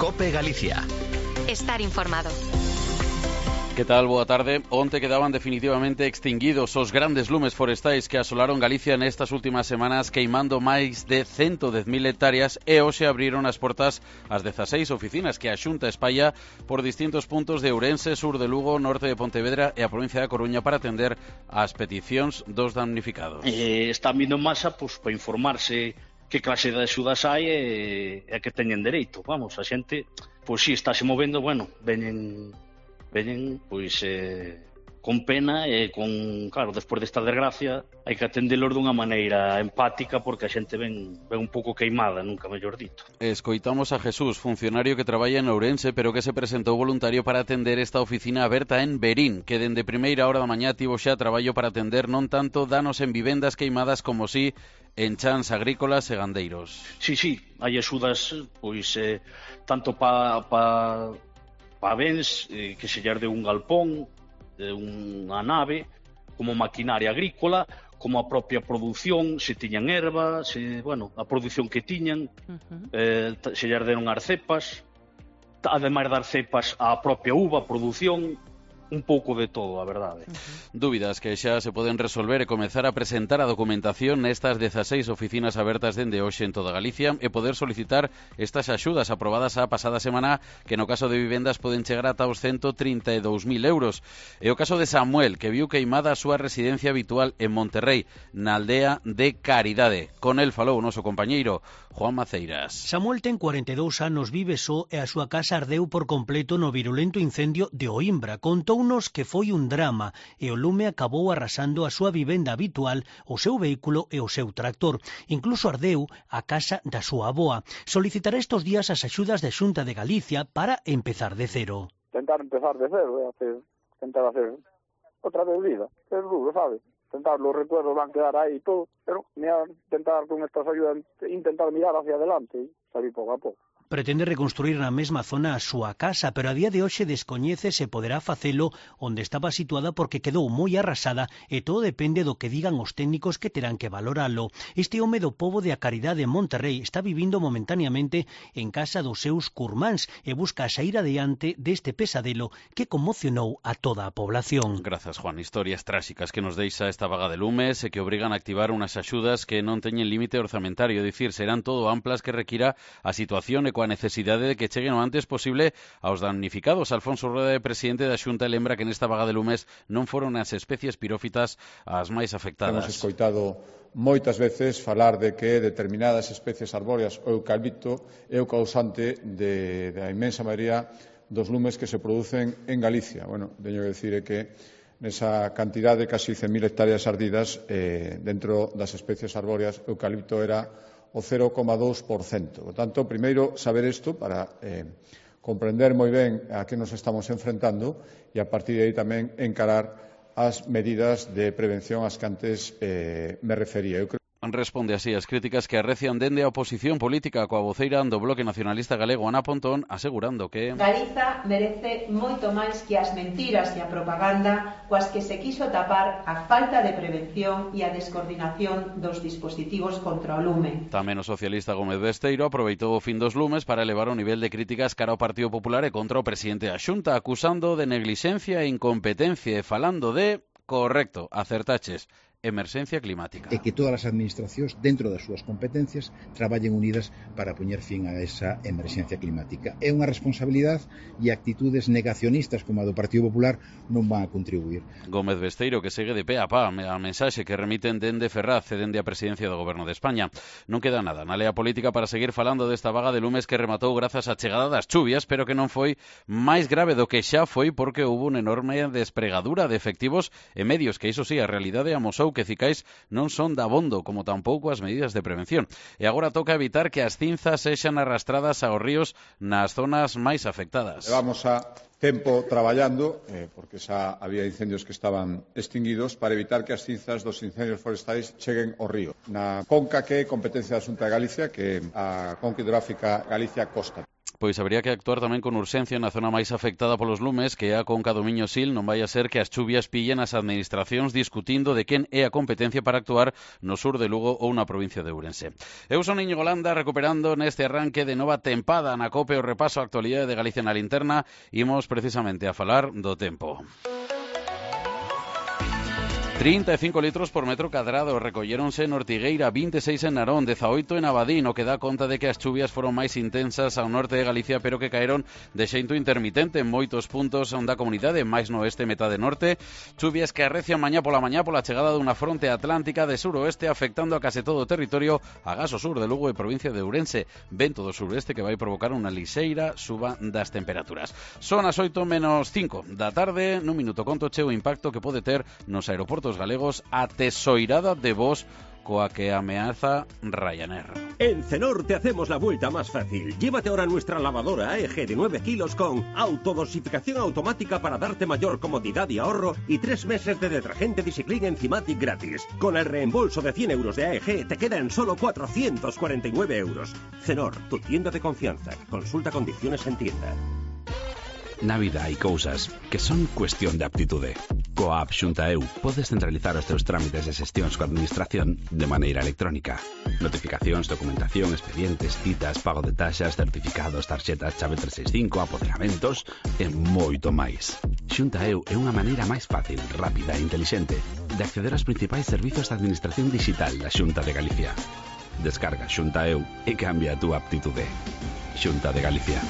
COPE Galicia. Estar informado. Que tal? Boa tarde. Onte quedaban definitivamente extinguidos os grandes lumes forestais que asolaron Galicia nestas últimas semanas, queimando máis de 110.000 hectáreas, e hoxe abriron as portas as 16 oficinas que a Xunta espalla por distintos puntos de Ourense, sur de Lugo, norte de Pontevedra e a provincia da Coruña para atender as peticións dos damnificados. Están vindo en masa para informarse que clase de axudas hai e que teñen dereito. Vamos, a xente, pois si, está se movendo, bueno, veñen pois con pena e con, claro, despois desta desgracia hai que atendelos dunha maneira empática porque a xente ven un pouco queimada, nunca mellor dito. Escoitamos a Jesús, funcionario que traballa en Ourense pero que se presentou voluntario para atender esta oficina aberta en Verín, que dende primeira hora da mañá tivo xa traballo para atender non tanto danos en vivendas queimadas como si en chans agrícolas e gandeiros. Sí, hai axudas pois tanto pa bens que se lle de un galpón, de unha nave, como maquinaria agrícola, como a propia produción, se tiñan erva, a produción que tiñan, se lle deron as cepas, ademais das cepas a propia uva, a produción, un pouco de todo, a verdade. Dúbidas que xa se poden resolver e comezar a presentar a documentación nestas 16 oficinas abertas dende hoxe en toda Galicia e poder solicitar estas axudas aprobadas a pasada semana, que no caso de vivendas poden chegar ata os 132.000 euros. E o caso de Samuel, que viu queimada a súa residencia habitual en Monterrey, na aldea de Caridade. Con el falou o noso compañeiro Juan Maceiras. Samuel ten 42 anos, vive só e a súa casa ardeu por completo no virulento incendio de Oimbra. Contounos que foi un drama e o lume acabou arrasando a súa vivenda habitual, o seu vehículo e o seu tractor. Incluso ardeu a casa da súa avoa. Solicitará estes días as axudas da Xunta de Galicia para empezar de cero. Tentar empezar de cero, tentar hacer outra vez vida. É duro, sabes? Tentar, los recuerdos van a quedar aí e todo, pero tentar con estas ayudas, intentar mirar hacia adelante e salir pouco a pouco. Pretende reconstruir na mesma zona a súa casa, pero a día de hoxe descoñece se poderá facelo onde estaba situada porque quedou moi arrasada e todo depende do que digan os técnicos que terán que valoralo. Este home do pobo de A Caridade en Monterrey está vivindo momentaneamente en casa dos seus curmáns e busca saír adiante deste pesadelo que conmocionou a toda a población. Grazas, Juan. Historias tráxicas que nos deixa esta vaga de lumes e que obrigan a activar unhas axudas que non teñen límite orzamentario, dicir, serán todo amplas que requira a situación e coa necesidade de que cheguen o antes posible aos damnificados. Alfonso Rueda, presidente da Xunta, lembra que nesta vaga de lumes non foron as especies pirófitas as máis afectadas. Hemos escoitado moitas veces falar de que determinadas especies arbóreas, o eucalipto, é o causante da inmensa maioría dos lumes que se producen en Galicia. Bueno, teño que dicir que nesa cantidade de casi 100.000 hectáreas ardidas, dentro das especies arbóreas, o eucalipto era o 0,2%. Por tanto, primeiro, saber isto para comprender moi ben a que nos estamos enfrentando e, a partir de aí, tamén encarar as medidas de prevención ás que antes me refería. Responde así as críticas que arrecian dende a oposición política coa voceira do Bloque Nacionalista Galego, Ana Pontón, asegurando que Galiza merece moito máis que as mentiras e a propaganda coas que se quiso tapar a falta de prevención e a descoordinación dos dispositivos contra o lume. Tamén o socialista Gómez Besteiro aproveitou o fin dos lumes para elevar o nivel de críticas cara ao Partido Popular e contra o presidente da Xunta, acusando de neglixencia e incompetencia e falando de, correcto, acertaches, emerxencia climática. E que todas as administracións, dentro das súas competencias, traballen unidas para poñer fin a esa emerxencia climática. É unha responsabilidade e actitudes negacionistas como a do Partido Popular non van a contribuir. Gómez Besteiro, que segue de pé a pá a mensaxe que remiten dende Ferraz e dende a presidencia do Goberno de España. Non queda nada na lea política para seguir falando desta vaga de lumes que rematou grazas á chegada das chuvias, pero que non foi máis grave do que xa foi porque houve unha enorme despregadura de efectivos e medios, que iso sí, a realidade amosou que cicais non son dabondo, como tampouco as medidas de prevención. E agora toca evitar que as cinzas sexan arrastradas aos ríos nas zonas máis afectadas. Levamos a tempo traballando, porque xa había incendios que estaban extinguidos, para evitar que as cinzas dos incendios forestais cheguen ao río. Na conca que é competencia da Xunta de Galicia, que é a Conca Hidrográfica Galicia Costa. Pois habría que actuar tamén con urxencia na zona máis afectada polos lumes, que é a Conca do Miño Sil. Non vai a ser que as chuvias pillen as administracións discutindo de quen é a competencia para actuar no sur de Lugo ou na provincia de Ourense. Eu son Íñigo Landa, recuperando neste arranque de nova tempada na COPE o repaso á actualidade de Galicia na linterna. Imos precisamente a falar do tempo. 35 litros por metro cadrado recolléronse en Ortigueira, 26 en Narón, 18 en Abadín, o que dá conta de que as chuvias foron máis intensas ao norte de Galicia, pero que caeron de xeito intermitente en moitos puntos da comunidade, máis no oeste, metade norte. Chuvias que arrecian mañá pola chegada dunha fronte atlántica de suroeste afectando a case todo o territorio, agás o sur de Lugo e provincia de Ourense. Vento do suroeste que vai provocar unha lixeira suba das temperaturas. Son as 8:05 da tarde, nun minuto contoche o impacto que pode ter nos aeroportos galegos a tesoirada de voos coa que ameaza Ryanair. En Cenor te hacemos la vuelta más fácil. Llévate ahora nuestra lavadora AEG de 9 kilos con autodosificación automática para darte mayor comodidad y ahorro y 3 meses de detergente Discipline Enzymatic gratis. Con el reembolso de 100 euros de AEG te quedan solo 449 euros. Cenor, tu tienda de confianza. Consulta condiciones en tienda. Na vida hai cousas que son cuestión de aptitude. Coa app Xunta EU podes centralizar os teus trámites de xestións coa administración de maneira electrónica. Notificacións, documentación, expedientes, citas, pago de taxas, certificados, tarxetas, chave 365, apoderamentos e moito máis. Xunta EU é unha maneira máis fácil, rápida e intelixente de acceder aos principais servizos de administración digital da Xunta de Galicia. Descarga Xunta EU e cambia a túa aptitude. Xunta de Galicia.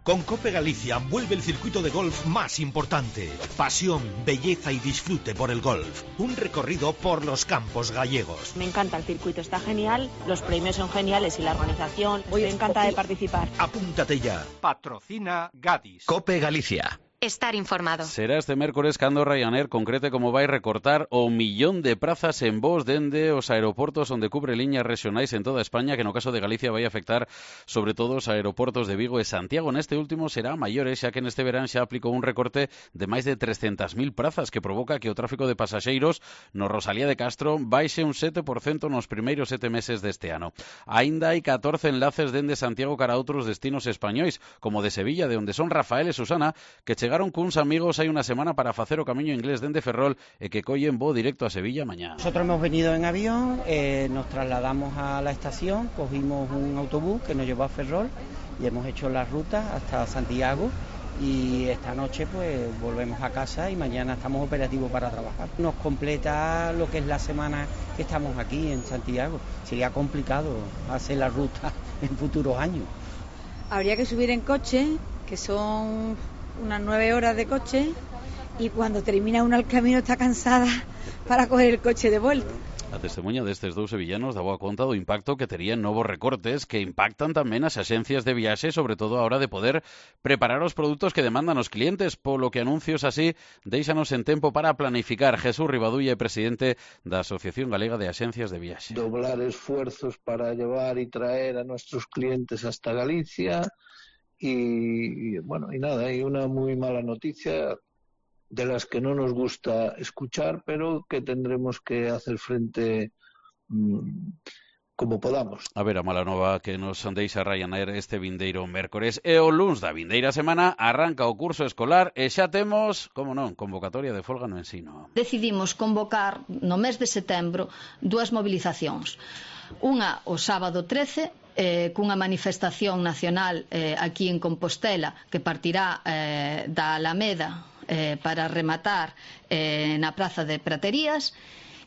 Con Cope Galicia vuelve el circuito de golf más importante. Pasión, belleza y disfrute por el golf. Un recorrido por los campos gallegos. Me encanta el circuito, está genial, los premios son geniales y la organización. Me encanta de participar. Apúntate ya. Patrocina Gadis. Cope Galicia. Estar informado. Será este mércores cando Ryanair concrete como vai recortar o 1.000.000 de prazas en voos dende os aeroportos onde cubre liñas regionais en toda España, que no caso de Galicia vai afectar sobre todo os aeroportos de Vigo e Santiago. Neste último será maior, xa que neste verán xa aplicou un recorte de máis de 300.000 prazas que provoca que o tráfico de pasaxeiros no Rosalía de Castro baixe un 7% nos primeiros 7 meses deste ano. Aínda hai 14 enlaces dende Santiago cara a outros destinos españois, como de Sevilla, de onde son Rafael e Susana, que chegaron cuns amigos hai unha semana para facer o camiño inglés dende Ferrol e que collen voo directo a Sevilla mañá. Nosotros hemos venido en avión, nos trasladamos a la estación, cogimos un autobús que nos llevó a Ferrol y hemos hecho la ruta hasta Santiago y esta noche pues volvemos a casa y mañana estamos operativos para trabajar. Nos completa lo que es la semana que estamos aquí en Santiago. Sería complicado hacer la ruta en futuros años. Habría que subir en coche, que son unas 9 horas de coche, y cuando termina uno el camino está cansada para coger el coche de vuelta. A testemunha destes dous sevillanos dá boa conta do impacto que terían novos recortes que impactan tamén as axencias de viaxe, sobre todo a hora de poder preparar os produtos que demandan os clientes, polo que anuncios así déixanos en tempo para planificar. Jesús Rivadulla é presidente da Asociación Galega de Axencias de Viaxe. Doblar esfuerzos para llevar y traer a nuestros clientes hasta Galicia. Y bueno, y nada, hay una muy mala noticia de las que no nos gusta escuchar, pero que tendremos que hacer frente como podamos. A ver, a mala nova que nos deixa Ryanair este vindeiro mércores e o luns da vindeira semana arranca o curso escolar e xa temos, como non, convocatoria de folga no ensino. Decidimos convocar no mes de setembro 2 movilizacións. Unha o sábado 13, cunha manifestación nacional aquí en Compostela que partirá da Alameda para rematar na Praza de Praterías,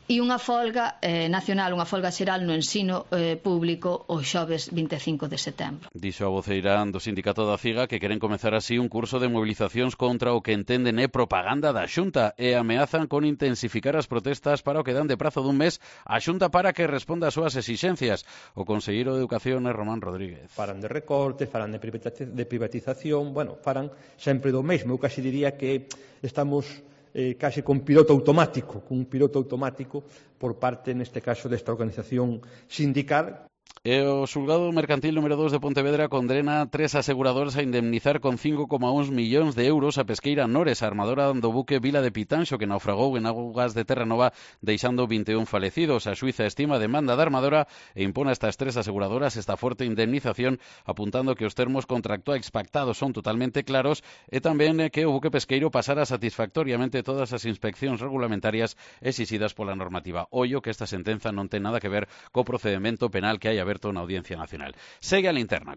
e unha folga nacional, unha folga xeral no ensino público o xoves 25 de setembro. Dixo a voceira do sindicato da CIGA que queren comezar así un curso de movilizacións contra o que entenden é propaganda da Xunta e ameazan con intensificar as protestas para o que dan de prazo dun mes a Xunta para que responda ás súas exixencias. O conselleiro de Educación é Román Rodríguez. Falan de recortes, falan de privatización, bueno, falan sempre do mesmo. Eu casi diría que estamos case con un piloto automático por parte, neste caso, desta organización sindical. O xulgado mercantil número 2 de Pontevedra condena 3 aseguradoras a indemnizar con 5,1 millóns de euros a pesqueira Nores, a armadora do buque Vila de Pitanxo, que naufragou en augas de Terranova deixando 21 falecidos. A xuíza estima a demanda da armadora e impone a estas 3 aseguradoras esta forte indemnización, apuntando que os termos contractuais pactados son totalmente claros e tamén que o buque pesqueiro pasara satisfactoriamente todas as inspeccións regulamentarias exixidas pola normativa. Ollo que esta sentenza non ten nada que ver co procedemento penal que hai aberto na Audiencia Nacional. Segue a linterna.